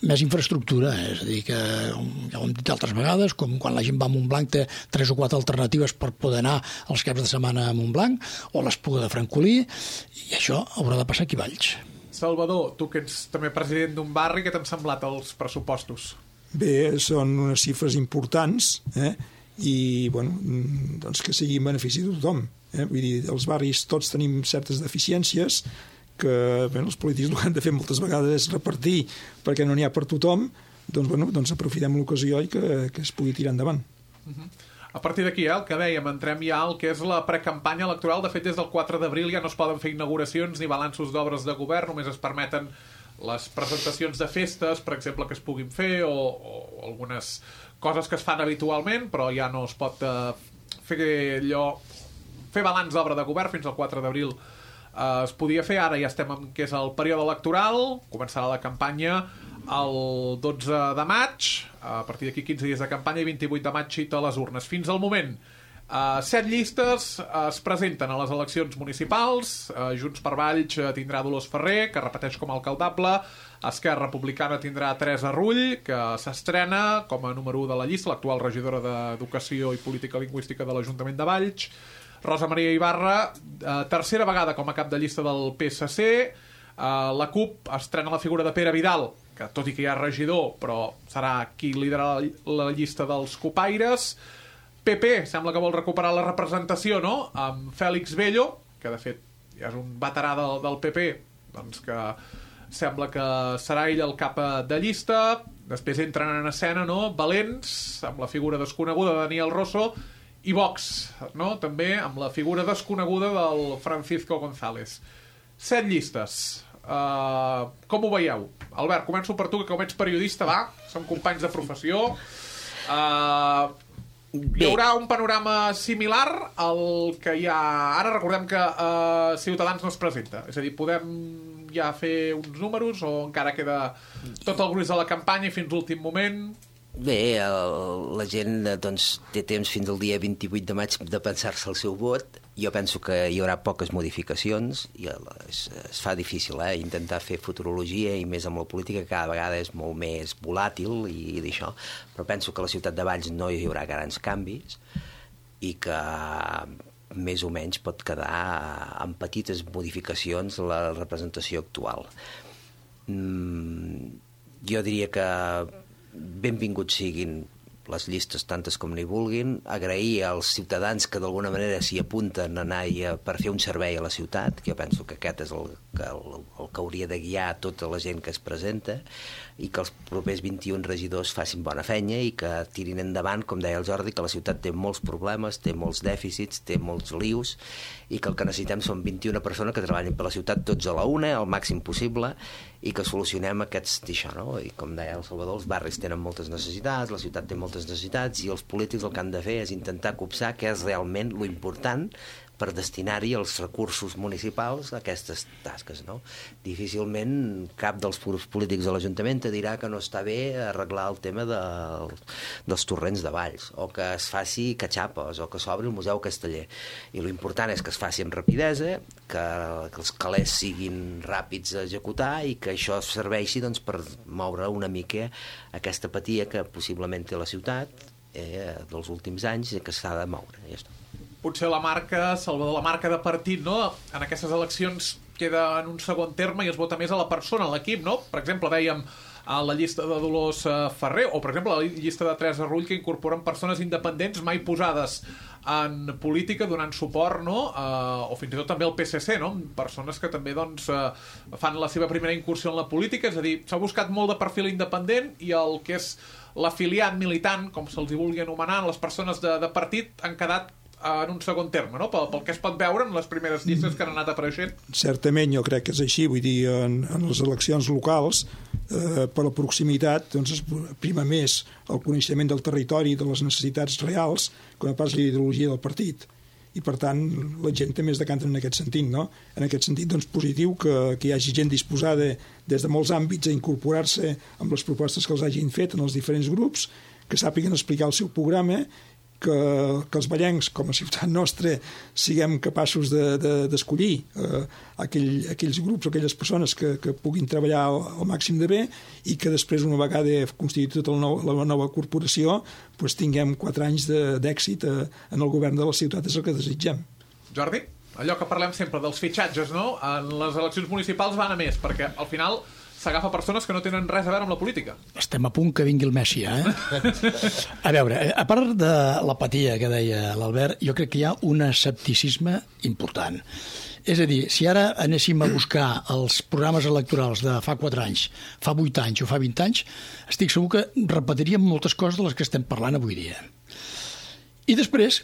més infraestructura, és a dir, que ja ho hem dit altres vegades, com quan la gent va a Montblanc té 3 o 4 alternatives per poder anar els caps de setmana a Montblanc, o l'Espluga de Francolí, i això haurà de passar aquí a Valls.
Salvador, tu que ets també president d'un barri, què t'han semblat els pressupostos?
Bé, són unes xifres importants, i bueno, doncs que sigui en benefici de tothom. Vull dir, els barris tots tenim certes deficiències que els polítics el que han de fer moltes vegades és repartir perquè no n'hi ha per tothom, doncs aprofitem l'ocasió i que es pugui tirar endavant.
A partir d'aquí, el que dèiem, entrem ja al que és la precampanya electoral. De fet, des del 4 d'abril ja no es poden fer inauguracions ni balanços d'obres de govern, només es permeten les presentacions de festes, per exemple, que es puguin fer, o algunes coses que es fan habitualment, però ja no es pot fer balanç d'obra de govern. Fins al 4 d'abril es podia fer, ara ja estem en que és el període electoral, començarà la campanya el 12 de maig, a partir d'aquí 15 dies de campanya, i 28 de maig cita a les urnes. Fins al moment, 7 llistes es presenten a les eleccions municipals. Junts per Valls tindrà Dolors Ferrer, que repeteix com a alcaldable. Esquerra Republicana tindrà Teresa Rull, que s'estrena com a número 1 de la llista, l'actual regidora d'Educació i Política Lingüística de l'Ajuntament de Valls. Rosa Maria Ibarra, tercera vegada com a cap de llista del PSC. La CUP estrena la figura de Pere Vidal, que tot i que hi ha regidor, però serà qui liderarà la llista dels copaires. PP sembla que vol recuperar la representació, no?, amb Fèlix Bello, que de fet ja és un veterà del PP, doncs que sembla que serà ell el cap de llista. Després entren en escena, no?, Valents, amb la figura desconeguda de Daniel Rosso, i Vox, no?, també amb la figura desconeguda del Francisco González. 7 llistes. Com ho veieu? Albert, començo per tu, que com ets periodista, va, som companys de professió. Hi haurà un panorama similar al que hi ha ara. Recordem que Ciutadans no es presenta, és a dir, podem ja fer uns números o encara queda tot el gruix de la campanya i fins l'últim moment?
Bé, la gent doncs, té temps fins al dia 28 de maig de pensar-se el seu vot. Jo penso que hi haurà poques modificacions i es fa difícil intentar fer futurologia, i més amb la política cada vegada és molt més volàtil i d'això, però penso que a la ciutat de Valls no hi haurà grans canvis i que més o menys pot quedar amb petites modificacions la representació actual. Jo diria que benvinguts siguin les llistes tantes com n'hi vulguin, agrair als ciutadans que d'alguna manera s'hi apunten a anar per fer un servei a la ciutat, que jo penso que aquest és el que hauria de guiar tota la gent que es presenta, i que els propers 21 regidors facin bona feina i que tirin endavant, com deia el Jordi, que la ciutat té molts problemes, té molts dèficits, té molts lius, i que el que necessitem són 21 persones que treballin per la ciutat tots a la una, al màxim possible, i que solucionem aquests d'això, no? I com deia el Salvador, els barris tenen moltes necessitats, la ciutat té moltes moltes necessitats i els polítics el que han de fer és intentar copsar què és realment lo important per destinar-hi els recursos municipals a aquestes tasques, no? Difícilment cap dels polítics de l'Ajuntament te dirà que no està bé arreglar el tema dels torrents de Valls, o que es faci catxapes, o que s'obri el Museu Casteller. I l'important és que es faci amb rapidesa, que els calés siguin ràpids a executar i que això serveixi doncs, per moure una mica aquesta apatia que possiblement té la ciutat dels últims anys i que s'ha de moure. Ja està.
Potser la marca, Salvador, la marca de partit, no? En aquestes eleccions queda en un segon terme i es vota més a la persona, a l'equip, no? Per exemple, dèiem a la llista de Dolors Ferrer, o per exemple a la llista de Teresa Rull, que incorporen persones independents mai posades en política donant suport, no? O fins i tot també al PSC, no? Persones que també doncs, fan la seva primera incursió en la política, és a dir, s'ha buscat molt de perfil independent i el que és l'afiliat militant, com se'ls hi vulgui anomenar, les persones de partit han quedat en un segon terme, no? Pel que es pot veure en les primeres llistes que han anat apareixent.
Certament, jo crec que és així, vull dir, en les eleccions locals, per la proximitat, doncs es prima més el coneixement del territori i de les necessitats reals que no pas la ideologia del partit. I, per tant, la gent també es decanta en aquest sentit, no? En aquest sentit, doncs, positiu que hi hagi gent disposada des de molts àmbits a incorporar-se amb les propostes que els hagin fet en els diferents grups, que sàpiguen explicar el seu programa, que els vallencs, com a ciutat nostra, siguem capaços d'escollir aquells grups o aquelles persones que puguin treballar al màxim de bé i que després, una vegada constituït la nova corporació, doncs tinguem 4 anys d'èxit en el govern de la ciutat, és el que desitgem.
Jordi, allò que parlem sempre dels fitxatges, no? En les eleccions municipals van a més, perquè al final s'agafa persones que no tenen res a veure amb la política.
Estem a punt que vingui el Messi, A veure, a part de l'apatia que deia l'Albert, jo crec que hi ha un escepticisme important. És a dir, si ara anéssim a buscar els programes electorals de fa 4 anys, fa 8 anys o fa 20 anys, estic segur que repetiríem moltes coses de les que estem parlant avui dia. I després,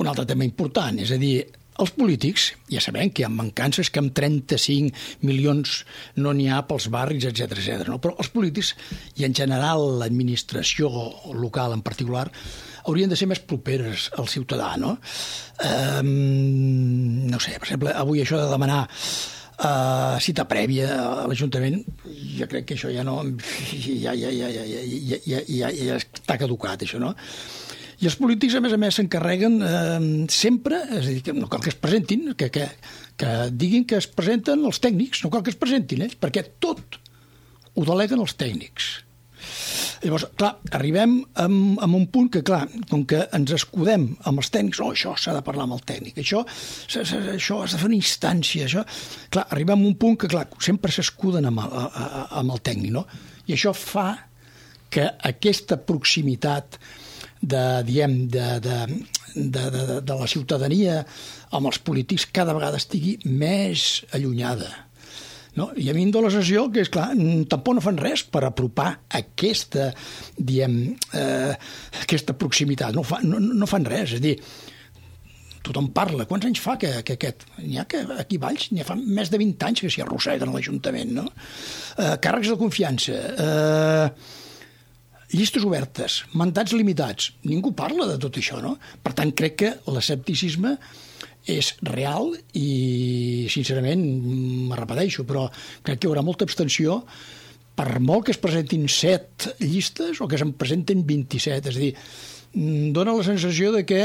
un altre tema important, és a dir, els polítics, ja sabem que hi ha mancances, que amb 35 milions no n'hi ha pels barris, etc, no? Però els polítics, i en general l'administració local en particular, haurien de ser més properes al ciutadà, no? No sé, per exemple, avui això de demanar cita prèvia a l'Ajuntament, jo crec que això ja no... ja està caducat, això, no? I els polítics, a més, s'encarreguen sempre, és a dir, que no cal que es presentin, que diguin que es presenten els tècnics, no cal que es presentin ells, perquè tot ho deleguen els tècnics. Llavors, clar, arribem a un punt que, clar, com que ens escudem amb els tècnics, això s'ha de parlar amb el tècnic, això has de fer una instància, això... Clar, arribem a un punt que, clar, sempre s'escuden amb el tècnic, no? I això fa que aquesta proximitat de la ciutadania amb els polítics cada vegada estigui més allunyada. No? I a mi em dóna la sensació que, és clar, tampoc no fan res per apropar aquesta proximitat. No fan res, és a dir, tothom parla. Quants anys fa que aquest... N'hi ha que aquí a Valls n'hi ha fa més de 20 anys que s'hi arrosseguen a l'Ajuntament, no? Càrrecs de confiança, llistes obertes, mandats limitats. Ningú parla de tot això, no? Per tant, crec que l'escepticisme és real i, sincerament, me repeteixo, però crec que hi haurà molta abstenció per molt que es presentin 7 llistes o que se'n presenten 27. És a dir, dona la sensació de que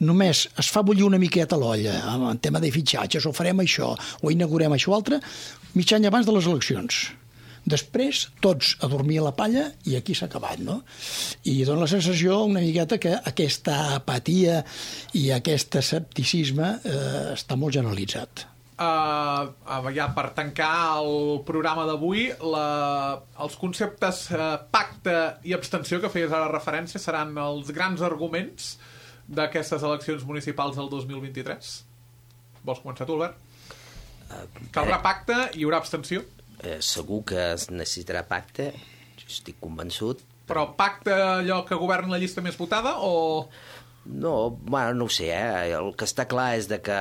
només es fa bullir una miqueta l'olla en tema de fitxatges, o farem això, o inaugurem això o altre, mig any abans de les eleccions. Després, tots a dormir a la palla i aquí s'ha acabat, no? I dona la sensació una miqueta que aquesta apatia i aquest escepticisme està molt generalitzat.
Ja per tancar el programa d'avui, els conceptes pacte i abstenció que feies ara referència seran els grans arguments d'aquestes eleccions municipals del 2023? Vols començar tu, Albert? Caldrà pacte i hi haurà abstenció?
Segur que es necessitarà pacte, jo estic convençut.
Però pacte allò que governa la llista més votada o
No, bueno, no ho sé, El que està clar és de que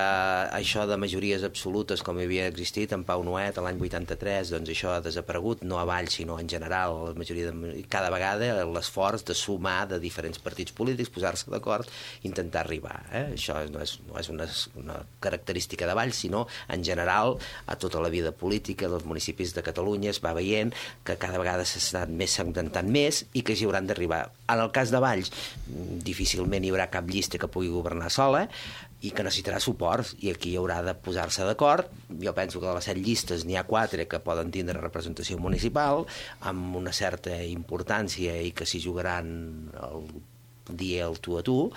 això de majories absolutes, com havia existit en Pau Nuet l'any 83, doncs això ha desaparegut, no a Valls, sinó en general. La majoria cada vegada l'esforç de sumar de diferents partits polítics, posar-se d'acord, intentar arribar. Això no és una característica de Valls, sinó en general a tota la vida política dels municipis de Catalunya es va veient que cada vegada s'estan més segmentant més i que s'hi hauran d'arribar. En el cas de Valls, difícilment hi haurà cap llista que pugui governar sola i que necessitarà suport, i aquí hi haurà de posar-se d'acord. Jo penso que de les 7 llistes n'hi ha 4 que poden tindre representació municipal amb una certa importància i que s'hi jugaran el dia el tu a tu,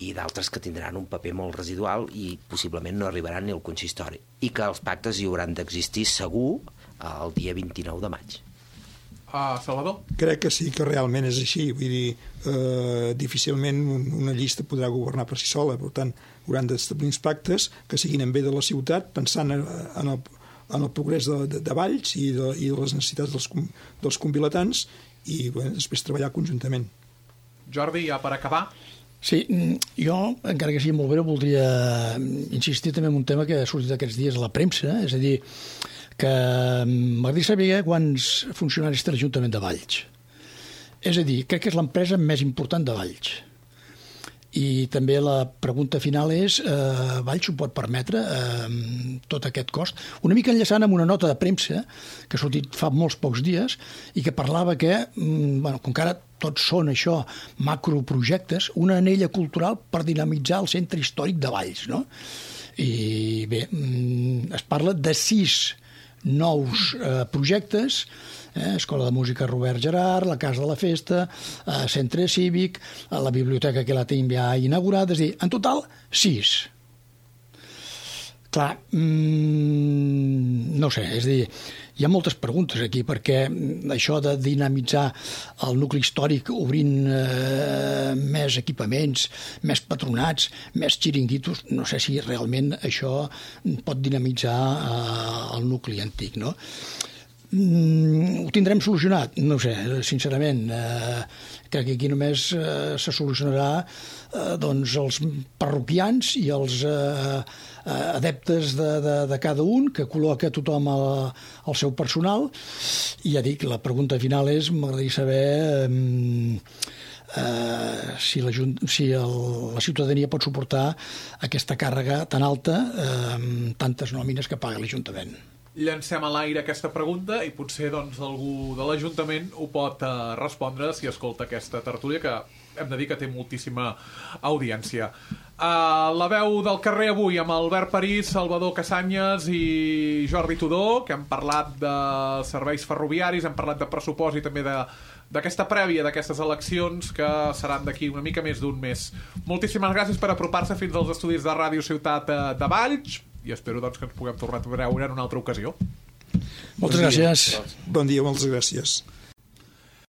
i d'altres que tindran un paper molt residual i possiblement no arribaran ni al consistori, i que els pactes hi hauran d'existir segur el dia 29 de maig.
Salvador?
Crec que sí, que realment és així. Vull dir, difícilment una llista podrà governar per si sola. Per tant, hauran d'establir uns pactes que siguin en bé de la ciutat, pensant en el progrés de Valls i de les necessitats dels convilatans, i després treballar conjuntament.
Jordi, ja per acabar?
Sí, jo, encara que sigui molt breu, voldria insistir també en un tema que ha sortit aquests dies a la premsa, és a dir, que m'agradaria saber quants funcionaris té l'Ajuntament de Valls. És a dir, crec que és l'empresa més important de Valls. I també la pregunta final és, Valls s'ho pot permetre, tot aquest cost? Una mica enllaçant amb una nota de premsa que ha sortit fa molts pocs dies i que parlava que, com que ara tots són això, macroprojectes, una anella cultural per dinamitzar el centre històric de Valls, no? I bé, es parla de 6 nous projectes, Escola de Música Robert Gerard, la Casa de la Festa, Centre Cívic, la biblioteca que la tenim ja inaugurat, és a dir, en total 6. Clar, no sé, és a dir, hi ha moltes preguntes aquí, perquè això de dinamitzar el nucli històric obrint més equipaments, més patronats, més xiringuitos, no sé si realment això pot dinamitzar el nucli antic, no? Ho tindrem solucionat? No ho sé, sincerament. Crec que aquí només se solucionarà doncs els parroquians i els adeptes de cada un, que col·loca tothom el seu personal. I ja dic, la pregunta final és, m'agradaria saber si la ciutadania pot suportar aquesta càrrega tan alta amb tantes nòmines que paga l'Ajuntament.
Llancem a l'aire aquesta pregunta i potser doncs, algú de l'Ajuntament ho pot respondre si escolta aquesta tertúlia, que hem de dir que té moltíssima audiència. La veu del carrer avui amb Albert París, Salvador Casanyes i Jordi Tudó, que hem parlat de serveis ferroviaris, hem parlat de pressupost i també d'aquesta prèvia d'aquestes eleccions que seran d'aquí una mica més d'un mes. Moltíssimes gràcies per apropar-se fins als estudis de Ràdio Ciutat de Valls i espero doncs, que ens puguem tornar a veure en una altra ocasió.
Moltes gràcies.
Bon dia, moltes gràcies.